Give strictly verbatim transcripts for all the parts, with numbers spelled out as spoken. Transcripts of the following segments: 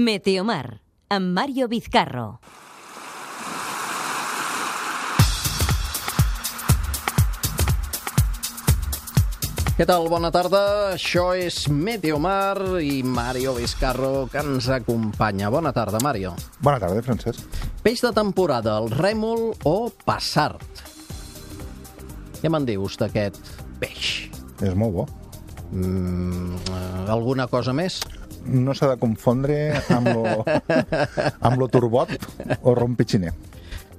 Meteomar, amb Mario Vizcarro. Què tal? Bona tarda. Això és Meteomar i Mario Vizcarro, que ens acompanya. Bona tarda, Mario. Bona tarda, Francesc. Peix de temporada, el rèmol o passart? Què me'n dius d'aquest peix? És molt bo. Mm, alguna cosa més? No s'ha de confondre amb lo, amb lo turbot o rom pitxiner,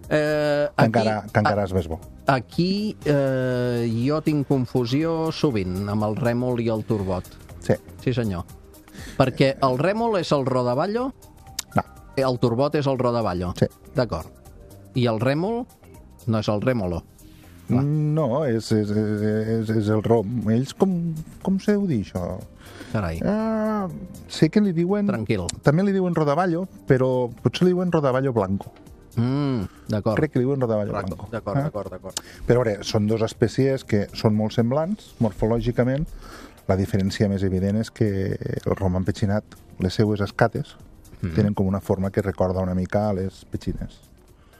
Eh, que encara, que encara és més bo. Aquí eh, jo tinc confusió sovint amb el rèmol i el turbot. Sí. Sí, senyor. Perquè el rèmol és el rodaballo, No. el turbot és el rodaballo. Sí. D'acord. I el rèmol no és el rèmolo. Clar. No, és, és, és, és el rom. Ells, com, com se deu dir, això? Carai. Ah, sé que li diuen... Tranquil. També li diuen rodaballo, però potser li diuen rodaballo blanco. Mm, d'acord. Crec que li diuen rodaballo blanco. D'acord, Eh? d'acord, d'acord. Però, a veure, són dues espècies que són molt semblants, morfològicament. La diferència més evident és que el rom empetxinat, les seues escates, mm. tenen com una forma que recorda una mica a les petxines.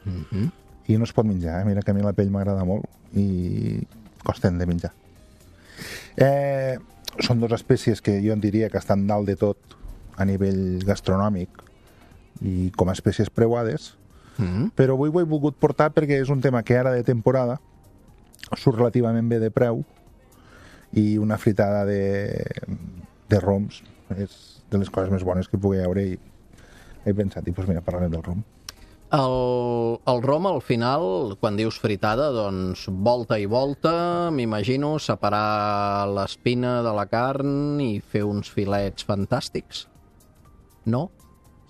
Mm-hmm. I no es pot menjar, eh? Mira que a mi la pell m'agrada molt i costen de menjar. Eh, són dues espècies que jo en diria que estan dalt de tot a nivell gastronòmic i com a espècies preuades, Mm. però avui ho he volgut portar perquè és un tema que ara de temporada surt relativament bé de preu i una fritada de, de roms és de les coses més bones que pugui haver i he pensat, i doncs mira, parlarem del rom. El, el rom, al final, quan dius fritada, doncs volta i volta, m'imagino, separar l'espina de la carn i fer uns filets fantàstics. No?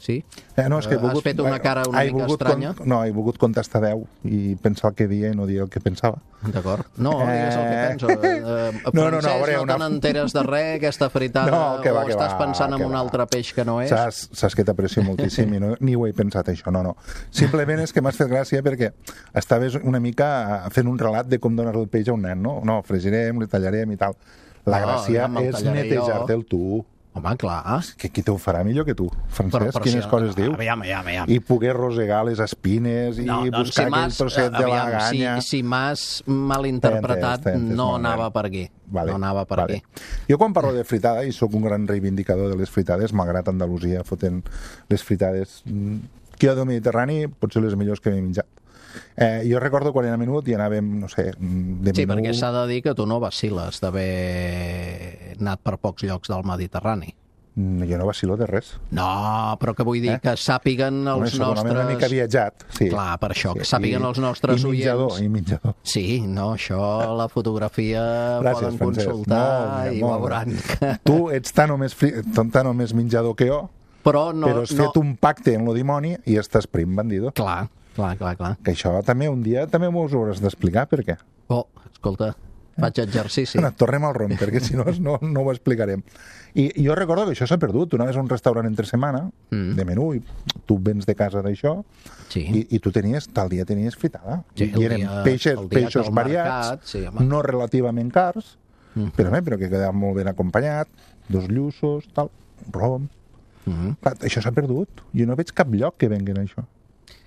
Sí? Eh, no, és que he volgut, Has fet una cara una he mica volgut estranya. Con, no, he volgut contestar deu i pensar el que dia i no dir el que pensava. D'acord. No, digues el que Eh, penso. Eh, no, no, no, Francesc, a veure, no una- te n'enteres de res, aquesta fritada, No, que va, o que estàs va, pensant en que un va. altre peix que no és? Saps, saps que t'aprecio moltíssim i no, ni ho he pensat, això, no, no. Simplement és que m'has fet gràcia perquè estaves una mica fent un relat de com donar el peix a un nen, no? No, fregirem, li tallarem i tal. La No, gràcia ja me'l és tallaré netejar-te'l tu. Home, clar. Que qui t'ho farà millor que tu, Francesc? però Quines si- coses diu? Aviam, aviam, aviam. I poder rosegar les espines i No, doncs buscar si aquell m'has- trosset de aviam, laganya. Si, si m'has malinterpretat, T'he entès, t'he entès, no molt bé. anava per aquí. Vale, no anava per vale. aquí. Jo quan parlo de fritada, i sóc un gran reivindicador de les fritades, malgrat Andalusia fotent les fritades mm, que jo del Mediterrani potser les millors que m'he menjat. Eh, jo recordo quan era menut i anàvem, no sé, de Sí, menú... perquè s'ha de dir que tu no vaciles d'haver anat per pocs llocs del Mediterrani. Mm, Jo no vacilo de res. No, però que vull dir Eh? que sàpiguen Home, els segurament nostres... una mica viatjat, sí. Clar, per això, que sàpiguen I- els nostres i menjador, oients. I menjador. Sí, no, això, la fotografia Gràcies, poden Francesc. consultar Molt bé, i molt bé. veuran que... Tu ets tan o més, fri... tan o més menjador que jo, Però no... però has no... fet un pacte amb lo dimoni i estàs prim, bandido. Clar, clar, clar, clar. Que això també un dia també m'ho hauràs d'explicar, per què? Oh, escolta, faig exercici. Bueno, tornem al rom, perquè si no, no, no ho explicarem. I, I jo recordo que això s'ha perdut. Tu anaves a un restaurant entre setmana, Mm. de menú, i tu vens de casa d'això, Sí. i, i tu tenies, tal dia tenies fritada. Sí, I, el i eren dia- peixes, el dia que peixos al variats, mercat, sí, home. no relativament cars, Mm. però, bé, però que quedava molt ben acompanyat, dos lluços, tal, rom. Mm. Clar, això s'ha perdut. Jo no veig cap lloc que venguen això.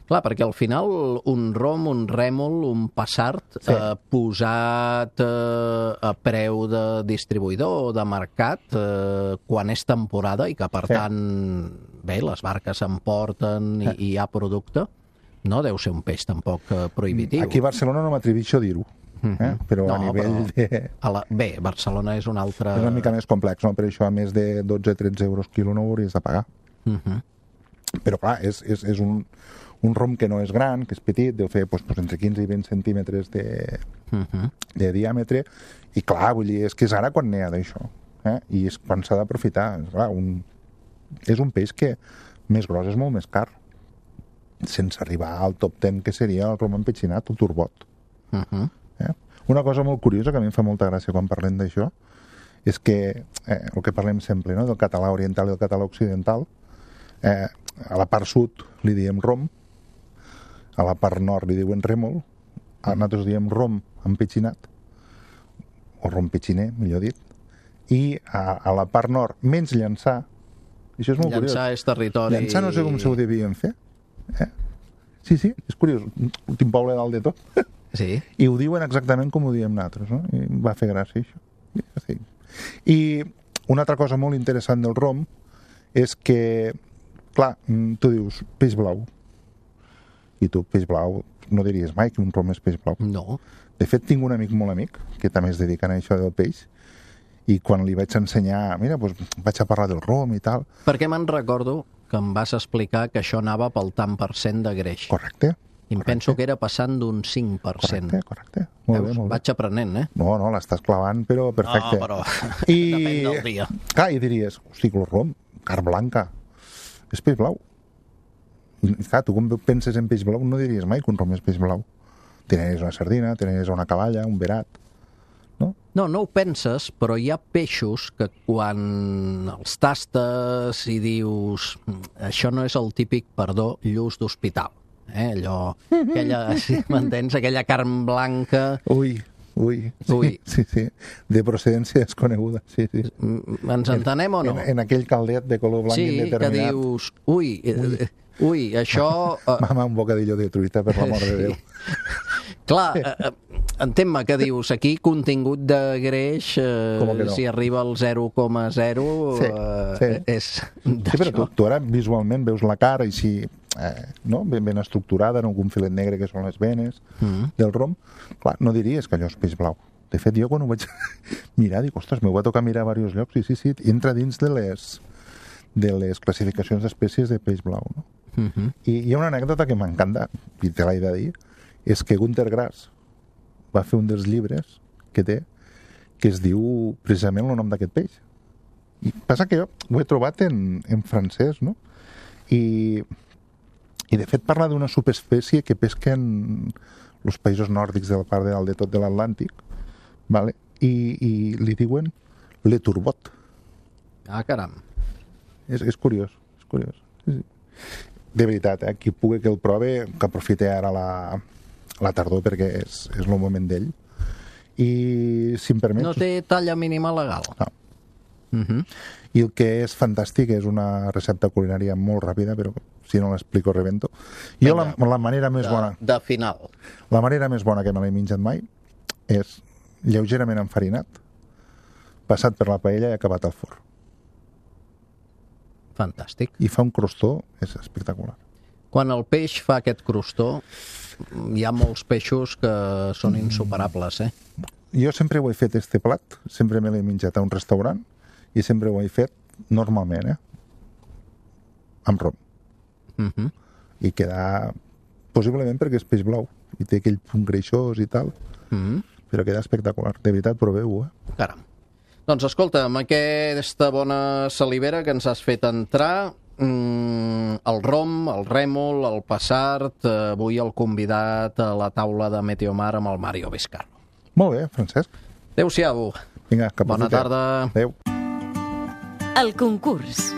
Clar, perquè al final un rom, un rèmol, un passart Sí. eh, posat eh, a preu de distribuïdor o de mercat eh, quan és temporada i que per Sí. tant, bé, les barques s'emporten i, i hi ha producte, no deu ser un peix tampoc eh, prohibitiu. Aquí a Barcelona no m'atreveixo a dir-ho, eh? però No, a nivell però- de... A la... Bé, Barcelona és un altre... És una mica més complex, no? Per això a més de dotze tretze euros quilo no ho hauries de pagar. Uh -huh. Però clar, és, és, és un, un rom que no és gran, que és petit, deu fer doncs, doncs, entre quinze i vint centímetres de, Uh -huh. de diàmetre, i clar, vull dir, és que és ara quan n'hi ha d'això, eh? I és quan s'ha d'aprofitar. És, clar, un, és un peix que més gros és molt més car, sense arribar al top ten que seria el rom empetxinat, el turbot. Uh -huh. Eh? Una cosa molt curiosa que a mi em fa molta gràcia quan parlem d'això és que eh, el que parlem sempre, no? Del català oriental i del català occidental, eh, a la part sud li diem rom, a la part nord li diuen rèmol, a nosaltres diem rom empetxinat, o rom petxiner, millor dit, i a, a la part nord, menys Llançà, Això és molt Llançar curiós. és territori... Llançar no sé com se ho devien fer. Eh? Sí, sí, és curiós. L'últim poble dalt de tot. Sí. I ho diuen exactament com ho diem nosaltres, no? I em va fer gràcia, això. Sí. I una altra cosa molt interessant del rom és que, clar, tu dius peix blau. I tu, peix blau, no diries mai que un rom és peix blau. No. De fet, tinc un amic molt amic que també es dedica a això del peix, i quan li vaig ensenyar, mira, doncs vaig a parlar del rom i tal. Perquè me'n recordo que em vas explicar que això anava pel tant per cent de greix. Correcte. I em correcte. penso que era passant d'un cinc per cent. Correcte, correcte. Molt Veus? bé, molt bé. Vaig aprenent, eh? No, no, l'estàs clavant, però perfecte. No, però I... depèn del dia. Clar, i diries, hosti, el rom, carn blanca, és peix blau. I clar, tu com penses en peix blau no diries mai que un rom és peix blau. Tenies una sardina, tenies una cavalla, un verat, no? No, no ho penses, però hi ha peixos que quan els tastes i dius això no és el típic, perdó, lluç d'hospital. Eh? Allò, aquella, si m'entens, aquella carn blanca... Ui, ui. Sí, Ui. sí, sí. De procedència desconeguda, sí, sí. Mm, Ens entenem o no? En, en aquell caldet de color blanc Sí, que indeterminat. dius, ui, ui, ui això... eh, Mama, un bocadillo de truita, per l'amor de Déu. Clar, eh, eh, entén-me que dius, aquí contingut de greix, Com que eh, no? si arriba al zero coma zero, Sí, eh, sí. és Sí, però tu, d'això. tu ara visualment veus la cara així, eh, no? ben, ben estructurada, en algun filet negre que són les venes Mm. del rom. Clar, no diries que allò és peix blau. De fet, jo quan ho vaig mirar, dic, ostres, m'ho va tocar mirar a diversos llocs, i sí, sí, entra dins de les, de les classificacions d'espècies de peix blau, no? Mhm. I hi ha una anècdota que m'encanta, i te l'he de dir, és que Gunter Grass va fer un dels llibres que té, que es diu precisament el nom d'aquest peix. I passa que jo ho he trobat en, en francès, no? I, i de fet parla d'una subespècie que pesquen els països nòrdics de la part de dalt de tot de l'Atlàntic, vale? I, i li diuen le turbot. Ah, caram. És, és curiós, és curiós. Sí, sí. De veritat, eh? Qui pugui que el prove, que aprofite ara la, la tardor perquè és, és el moment d'ell. I, si em permets... No té talla mínima legal. No. Mhm. I el que és fantàstic és una recepta culinària molt ràpida, però si no l'explico rebento. Jo la, la manera més De, bona de final. la manera més bona que me l'he menjat mai és lleugerament enfarinat, passat per la paella i acabat al forn. Fantàstic. I fa un crostó, és espectacular. Quan el peix fa aquest crostó, hi ha molts peixos que són insuperables, eh? Jo sempre ho he fet, este plat, sempre me l'he menjat a un restaurant i sempre ho he fet normalment, eh? Amb rom. Mhm. I queda, possiblement perquè és peix blau i té aquell punt greixós i tal, Mhm. però queda espectacular. De veritat, proveu-ho, eh? Caram. Doncs escolta, amb aquesta bona salivera que ens has fet entrar, mm, el rom, el rèmol, el passart, eh, avui el convidat a la taula de Meteomar amb el Mario Vizcarro. Molt bé, Francesc. Adéu-siau. Vinga, que Bona aprofiteu. tarda. Adéu. El concurs.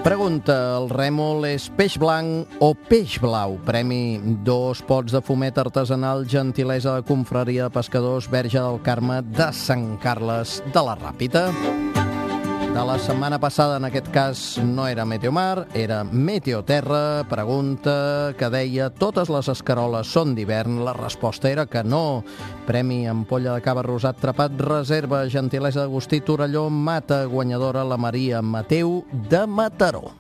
Pregunta, el rèmol és peix blanc o peix blau? Premi dos pots de fumet artesanal, gentilesa de confraria de pescadors Verge del Carme de Sant Carles de la Ràpita. De la setmana passada, en aquest cas, no era Meteomar, era Meteoterra. Pregunta que deia, totes les escaroles són d'hivern? La resposta era que no. Premi ampolla de cava rosat trapat, reserva, gentilesa d'Agustí Torelló, mata, guanyadora la Maria Mateu de Mataró.